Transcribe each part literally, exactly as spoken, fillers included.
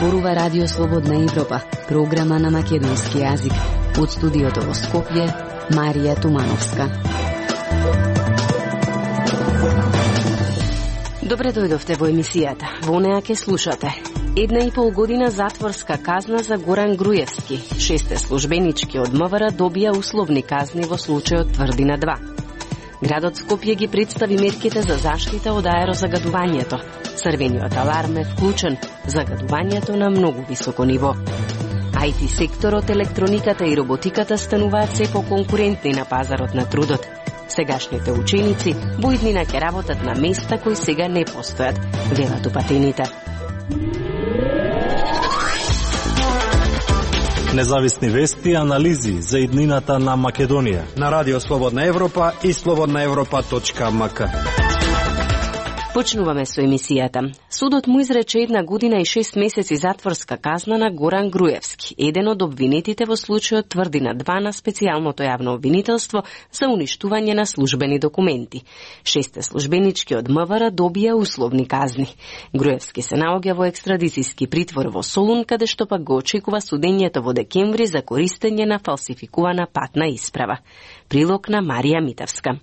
Зборува Радио Слободна Европа, програма на македонски јазик. Од студиото во Скопје, Марија Тумановска. Добре дојдовте во емисијата. Во неа ке слушате. Една и пол година затворска казна за Горан Груевски. Шесте службенички од МВР добија условни казни во случајот Тврдина два. Градот Скопје ги представи мерките за заштита од аерозагадувањето. Црвениот аларм е вклучен. Загадувањето на многу високо ниво. ай ти секторот, електрониката и роботиката стануваат се поконкурентни на пазарот на трудот. Сегашните ученици во иднина ќе работат на места кои сега не постојат, велат упатените. Независни вести и анализи за иднината на Македонија на Радио Слободна Европа и слободна европа точка ем ка. Почнуваме со емисијата. Судот му изрече една година и шест месеци затворска казна на Горан Груевски, еден од обвинетите во случајот Тврдина два на специјалното јавно обвинителство за уништување на службени документи. Шесте службенички од МВР добија условни казни. Груевски се наоѓа во екстрадицијски притвор во Солун, каде што пак го очекува судењето во декември за користење на фалсификувана патна исправа. Прилог на Марија Митевска.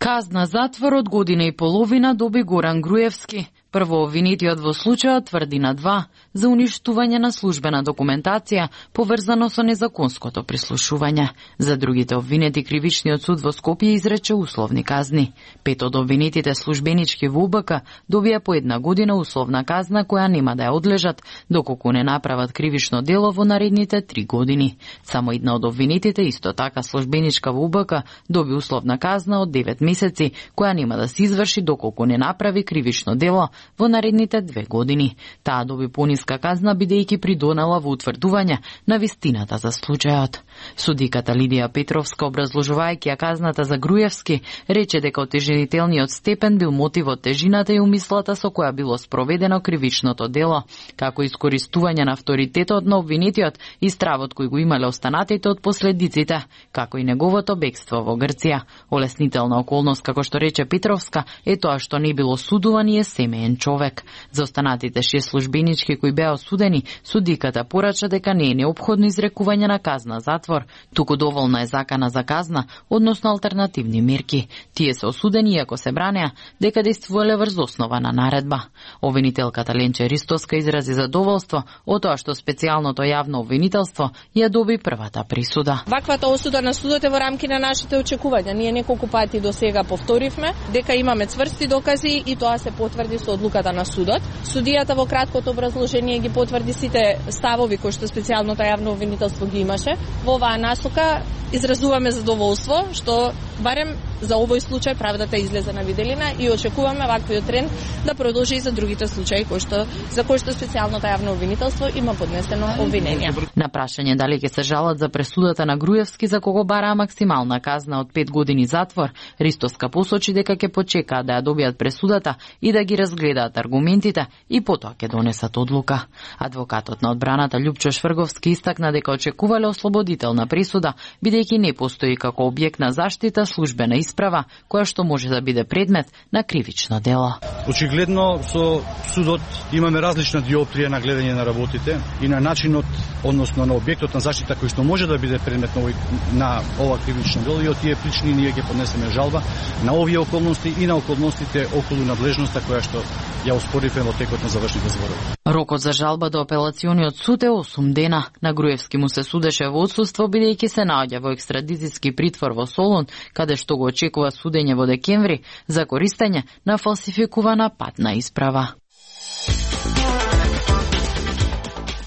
Казна затвор од година и половина доби Горан Груевски, прво обвинетиот во случајот Тврдина два, за уништување на службена документација поврзано со незаконското прислушување. За другите обвинети кривичниот суд во Скопје изрече условни казни. Пет од обвинетите службенички во УБК добија по една година условна казна која нема да ја одлежат доколку не направат кривично дело во наредните три години. Само една од обвинетите, исто така службеничка во УБК, доби условна казна од девет месеци која нема да се изврши доколку не направи кривично дело во наредните две години. Таа доби пониска казна бидејќи придонела во утврдување на вистината за случајот. Судиката Лидија Петровска, образложувајќи ја казната за Груевски, рече дека отежнителниот степен бил мотивот тежината и умислата со која било спроведено кривичното дело, како искористување на авторитетот на обвинетиот и стравот кој го имале останатите од последиците, како и неговото бегство во Грција. Олеснителна околност, како што рече Петровска, е тоа што не било судуван и е семеен човек. За останатите шест службенички кои беа осудени, судиката порача дека не е неопходно изрекување на казна затвор, туку доволна е закана за казна, односно алтернативни мерки. Тие се осудени иако се бранеа дека действувале врз основа на наредба. Обвинителката Ленче Ристоска изрази задоволство од тоа што специјалното јавно обвинителство ја доби првата присуда. Ваквата осуда на судот е во рамки на нашите очекувања. Ние неколку пати до сега повторивме дека имаме цврсти докази и тоа се потврди со одлуката на судот. Судијата во краткото образложение ги потврди сите ставови кои што специјалното јавно обвинителство ги имаше. Во оваа насока изразуваме задоволство што барем за овој случај правдата излезе на виделина и очекуваме ваквиот тренд да продолжи и за другите случаи кои што за кои што специјалното јавно обвинителство има поднесено обвинение. На прашање дали ќе се жалат за пресудата на Груевски за кого бараа максимална казна од пет години затвор, Ристоска посочи дека ќе почекаат да ја добијат пресудата и да ги разгледаат аргументите и потоа ќе донесат одлука. Адвокатот на одбраната Љупчо Шврговски истакна дека очекувале ослободителна присуда, бидејќи не постои како објект на заштита службена исправа која што може да биде предмет на кривично дело. Очигледно со судот имаме различна диоптрија на гледање на работите и на начинот, односно на објектот на заштита кој што може да биде предмет на, овој, на ова кривично дело и од тие причини ние ќе поднесеме жалба на овие околности и на околностите околу надлежноста која што ја оспоривме во текот на завршните зборови. Рокот за жалба до апелациониот суд е осум дена. На Груевски му се судеше во отсуство бидејќи се наоѓа во екстрадицијски притвор во Солун, каде што го очекува судење во декември за користење на фалсификувана патна исправа.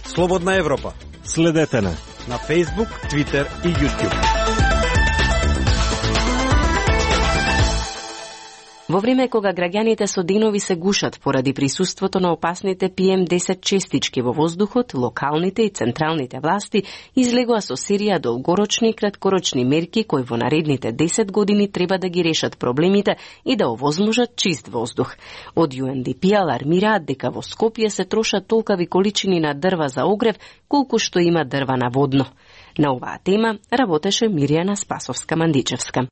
Слободна Европа. Следете на на Facebook, Twitter и YouTube. Во време кога граѓаните со денови се гушат поради присуството на опасните пи ем десет честички во воздухот, локалните и централните власти излегоа со серија долгорочни и краткорочни мерки кои во наредните десет години треба да ги решат проблемите и да овозможат чист воздух. Од ю ен ди пи алармираат дека во Скопје се трошат толкави количини на дрва за огрев колку што има дрва на водно. На оваа тема работеше Мирјана Спасовска-Мандичевска.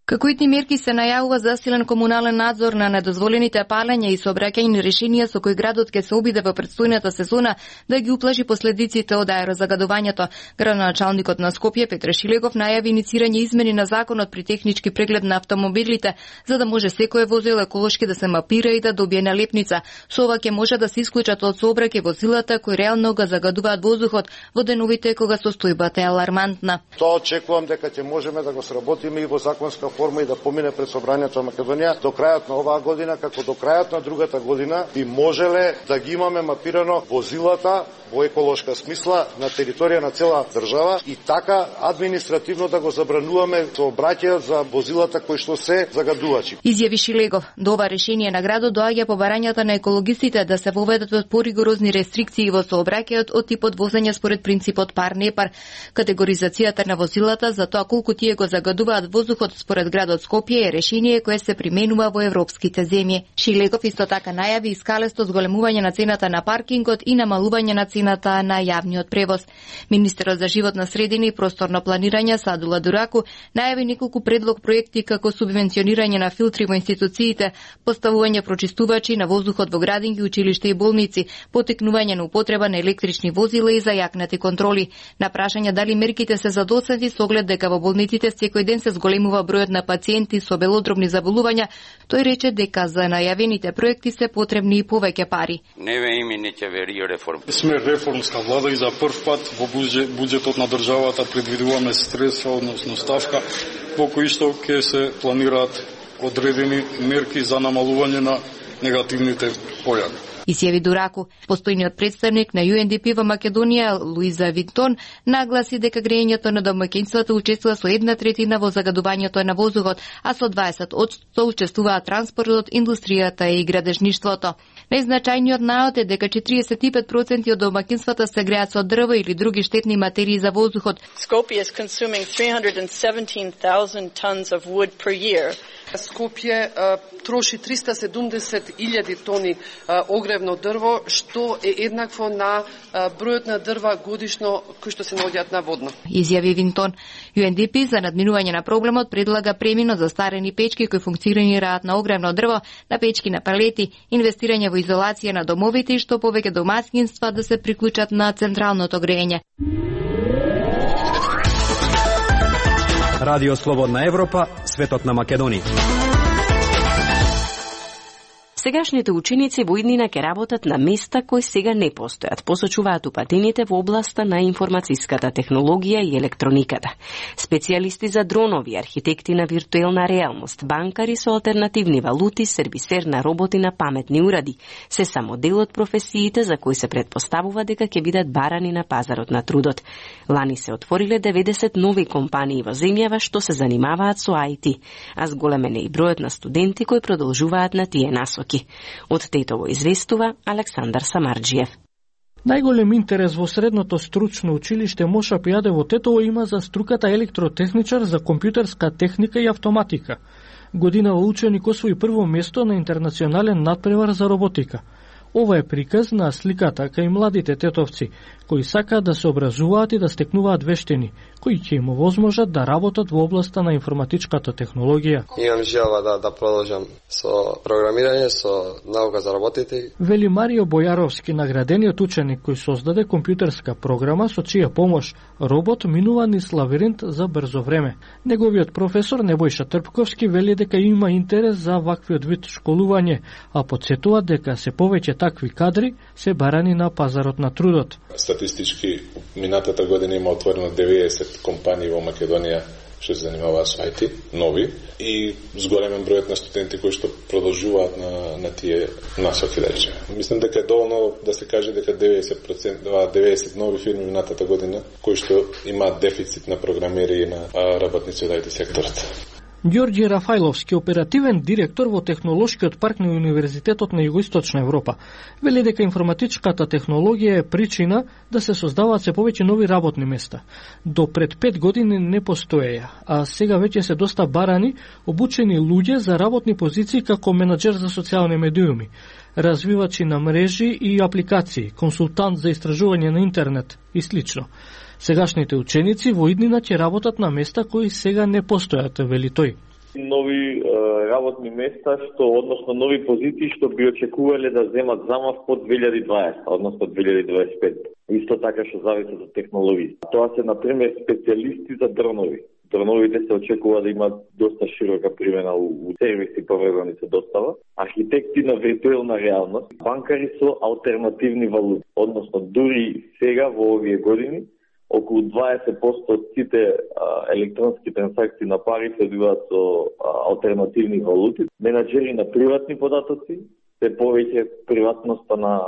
Како итни мерки се најавува засилен комунален надзор на недозволените палења и сообраќајни решенија со кои градот ќе се обиде во претстојната сезона да ги уплаши последиците од аерозагадувањето. Градоначалникот на Скопје Петре Шилегов најави иницирање измени на законот при технички преглед на автомобилите, за да може секое возило еколошки да се мапира и да добие налепница. Со ова ќе може да се исклучат од сообраќај возилата кои реално го загадуваат воздухот во деновите кога состојбата е алармантна. Тоа очекувам дека ќе можеме да го сработиме и во законска форма и да помине пред Собранието на Македонија до крајот на оваа година, како до крајот на другата година би можеле да ги имаме мапирано возилата во еколошка смисла на територија на цела држава и така административно да го забрануваме сообраќајот за возилата кои што се загадувачи. Изјави Шилегов. До ова решение на градот доаѓа по барањата на екологистите да се воведат поригорозни рестрикции во сообраќајот од типот возење според принципот пар-непар. Категоризацијата на возилата за тоа колку тие го загадуваат воздухот според градот Скопје е решение кое се применува во европските земји. Шилегов исто така најави и скалесто зголемување на цената на паркингот и намалување на цената на јавниот превоз. Министерот за животна средина и просторно планирање Садула Дураку најави неколку предлог проекти како субвенционирање на филтри во институциите, поставување прочистувачи на воздухот во градинки, училишта и болници, потекнување на употреба на електрични возила и зајакнати контроли. На прашање дали мерките се задоцнати со оглед дека во болниците секој ден се зголемува бројот на пациенти со белодробни заболувања, тој рече дека за најавените проекти се потребни и повеќе пари. Не ве име не ќе вери реформ. Сме реформска влада и за прв пат во буџетот на државата предвидуваме средства, односно ставка, во кои што ќе се планираат одредени мерки за намалување на негативните појави. Изјави Дураку. Постојниот представник на Ю Ен Ди Пи во Македонија, Луиза Винтон, нагласи дека грејењето на домаќинствата учествува со една третина во загадувањето на воздухот, а со дваесет одсто учествуваат транспортот, индустријата и градежништвото. Најзначајниот наод е дека четириесет и пет проценти од домаќинствата се греат со дрво или други штетни материи за воздухот. Skopje is consuming three hundred seventeen thousand tons of wood per year. Скопје троши триста и седумдесет илјади тони а, огревно дрво, што е еднакво на а, бројот на дрва годишно кои што се наоѓаат на водно. Изјави Винтон. Ю Ен Ди Пи за надминување на проблемот предлага премин од застарени печки кои функционираат на огревно дрво на печки на палети, инвестирање во изолација на домовите и што повеќе домаќинства да се приклучат на централното грејење. Радио Слободна Европа, светот на Македонија. Сегашните ученици во иднина ќе работат на места кои сега не постојат, посочуваат упатените во областа на информацијската технологија и електрониката. Специјалисти за дронови, архитекти на виртуелна реалност, банкари со алтернативни валути, сервисер на роботи на паметни уради, се само дел од професиите за кои се предпоставува дека ќе бидат барани на пазарот на трудот. Лани се отвориле деветдесет нови компании во земјава што се занимаваат со Ай Ти, а зголемен е и бројот на студенти кои продолжуваат на тие насоки. Од Тетово известува Александар Самарџиев. Најголем интерес во средното стручно училиште Моша Пијаде во Тетово има за струката електротехничар за компјутерска техника и автоматика. Годинава ученик освои прво место на интернационален надпревар за роботика. Ова е приказ на сликата кај младите тетовци, кои сакаат да се образуваат и да стекнуваат вештини, кои ќе им овозможат да работат во областа на информатичката технологија. Имам желба да, да продолжам со програмирање, со наука за роботите. Вели Марио Бојаровски, наградениот ученик кој создаде компјутерска програма со чија помош робот минува низ лавиринт за брзо време. Неговиот професор Небојша Трпковски вели дека има интерес за ваквиот вид школување, а потсетува дека се повеќе такви кадри се барани на пазарот на трудот. Статистички, минатата година има отворено деветдесет компании во Македонија што се занимаваат со Ай Ти, нови, и зголемен бројот на студенти кои што продолжуваат на, на тие насоки, да речеме. Мислам дека е доволно да се каже дека деветдесет проценти, деветдесет нови фирми минатата година кои што имаат дефицит на програмери и на работници од Ай Ти секторот. Ѓорѓи Рафајловски, оперативен директор во Технолошкиот парк на Универзитетот на Југоисточна Европа, вели дека информатичката технологија е причина да се создаваат се повеќе нови работни места. До пред пет години не постоеја, а сега веќе се доста барани обучени луѓе за работни позиции како менаџер за социјални медиуми, развивачи на мрежи и апликации, консултант за истражување на интернет и слично. Сегашните ученици во иднина ќе работат на места кои сега не постојат, вели тој. нови е, работни места, што односно нови позиции што би очекувале да земат замав по две илјади и дваесета, односно две илјади и дваесет и пета. Исто така што зависи од технологии. Тоа се на пример специјалисти за дронови. Дроновите се очекува да имаат доста широка примена у, у сервиси поврзани со достава. Архитекти на виртуелна реалност, банкари со алтернативни валути. Односно, дури сега во овие години, околу дваесет проценти од сите а, електронски трансакции на пари се одвиваат со а, алтернативни валути. Менаџери на приватни податоци, се повеќе приватноста на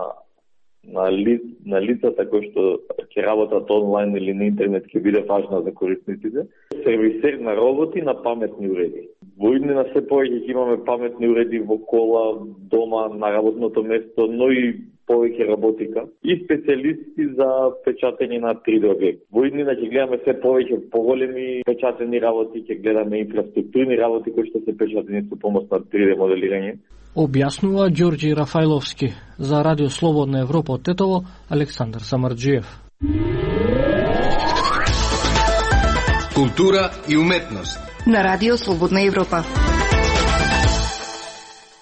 на, ли, на лицата кои што ќе работат онлайн или на интернет ќе биде важна за корисниците. Сервисер на роботи на паметни уреди. Во иднина се повеќе ќе имаме паметни уреди во кола, дома, на работното место, но и повеќе роботика и специјалисти за печатење на три Д објекти. Во иднина ќе гледаме се повеќе поголеми печатени работи, ќе гледаме инфраструктурни работи кои што се печатени со помош на три Д моделирање. Објаснува Ѓорѓи Рафајловски. За Радио Слободна Европа од Тетово, Александар Самарџиев. Култура и уметност на Радио Слободна Европа.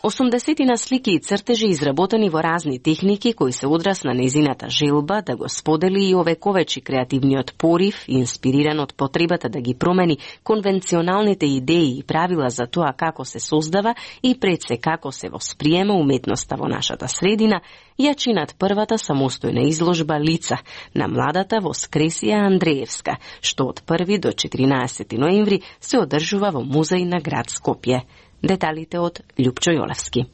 осумдесетина слики и цртежи изработени во разни техники кои се одраз на незината желба да го сподели и овековечи креативниот порив, инспириран од потребата да ги промени конвенционалните идеи и правила за тоа како се создава и пред се како се восприема уметноста во нашата средина, ја чинат првата самостојна изложба Лица на младата Воскресија Андреевска, што од први до четиринаесети ноември се одржува во музеј на град Скопје. Деталите од Љупчо Јолевски.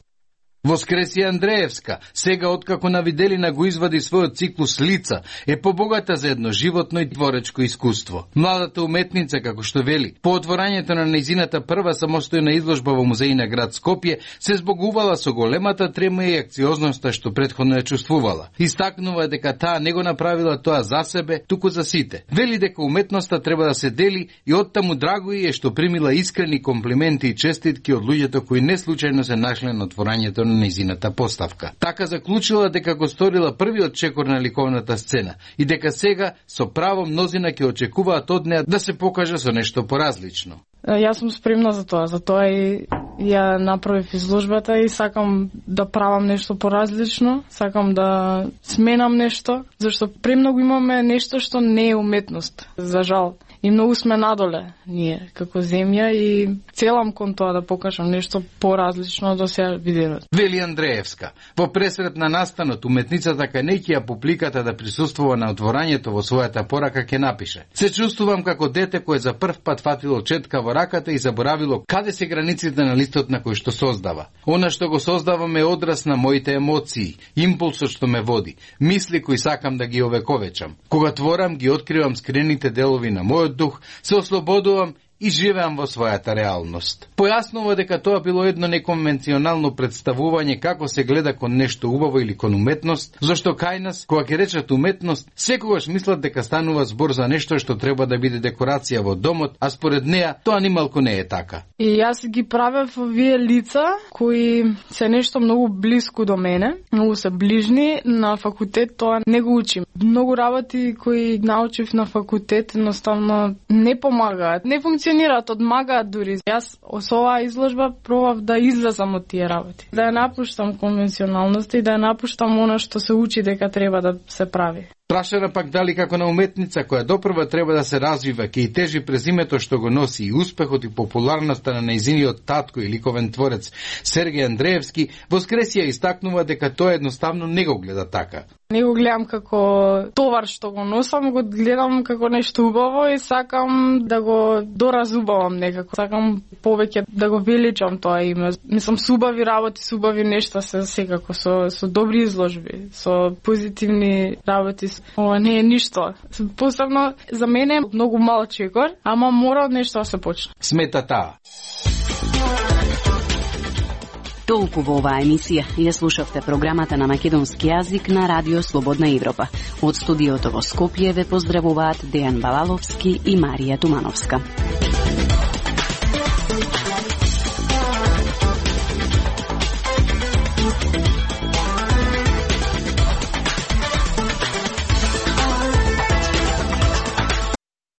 Воскресија Андреевска, сега откако на Виделина го извади својот циклус Лица, е побогата за едно животно и творечко искуство. Младата уметница, како што вели, по отворањето на нејзината прва самостојна изложба во музеј на град Скопје, се збогувала со големата трема и акциозноста што претходно ја чувствувала. Истакнува дека таа не го направила тоа за себе, туку за сите. Вели дека уметноста треба да се дели и оттаму драго е што примила искрени комплименти и честитки од луѓето кои не случајно се нашле на отворањето на нејзината поставка. Така заклучила дека го сторила првиот чекор на ликовната сцена и дека сега со право мнозина ќе очекуваат од неа да се покаже со нешто поразлично. Јас сум спремна за тоа, за тоа и ја направив изложбата и сакам да правам нешто поразлично, сакам да сменам нешто, зашто премногу имаме нешто што не е уметност, за жал. И многу сме надоле, ние, како земја, и целам кон тоа да покажам нешто поразлично до сега видено. Вели Андреевска. Во пресрет на настанот, уметницата кај неќија публиката да присуствува на отворањето во својата порака ќе напише: се чувствувам како дете кое за прв пат фатило четка во раката и заборавило каде се границите на листот на кој што создава. Она што го создавам е одраз на моите емоции, импулсот што ме води, мисли кои сакам да ги овековечам. Кога творам, ги откривам скрените делови на мојот дух, се ослободувам и живеам во својата реалност. Појаснува дека тоа било едно неконвенционално представување како се гледа кон нешто убаво или кон уметност, зашто кај нас, кога ќе речат уметност, секогаш мислат дека станува збор за нешто што треба да биде декорација во домот, а според неа тоа нималку не е така. И јас ги правев овие лица кои се нешто многу блиску до мене, многу се ближни. На факултет тоа не го учим. Многу работи кои научив на факултет едноставно не помагаат, не функционираат. Одмагаат дури. Јас со оваа изложба пробав да излезам од тие работи. Да ја напуштам конвенционалноста и да ја напуштам она што се учи дека треба да се прави. Прашана пак дали како на уметница која допрва треба да се развива, ќе и тежи презимето што го носи и успехот и популарноста на нејзиниот татко и ликовен творец Сергеј Андреевски, Воскресија истакнува дека тоа едноставно не го гледа така. Не го гледам како товар што го носам, го гледам како нешто убаво и сакам да го доразубавам некако. Сакам повеќе да го величам тоа име. Мислам, субави работи, субави нешта се секако со, со добри изложби, со позитивни работи. Ова не е ништо. Посебно за мене многу мал чекор, ама мора од нешто да се почне. Смета таа. Толку во оваа емисија. Ја слушавте програмата на македонски јазик на Радио Слободна Европа. Од студиото во Скопје ве поздравуваат Дејан Балаловски и Марија Тумановска.